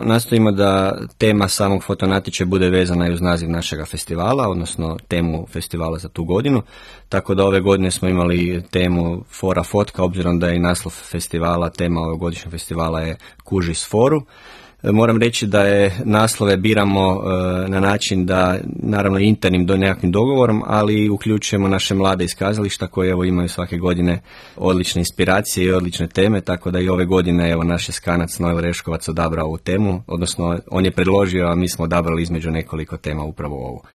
Nastojimo da tema samog fotonatječaja bude vezana i uz naziv našega festivala, odnosno temu festivala za tu godinu. Tako da ove godine smo imali temu Fora fotka, obzirom da je i naslov festivala, tema ovogodišnjeg festivala je Kuži s foru. Moram reći da je naslove biramo na način da, naravno internim do nekakvim dogovorom, ali uključujemo naše mlade iz kazališta koji evo imaju svake godine odlične inspiracije i odlične teme, tako da i ove godine evo naš je skanac Noel Reškovac odabrao ovu temu, odnosno on je predložio, a mi smo odabrali između nekoliko tema upravo ovu.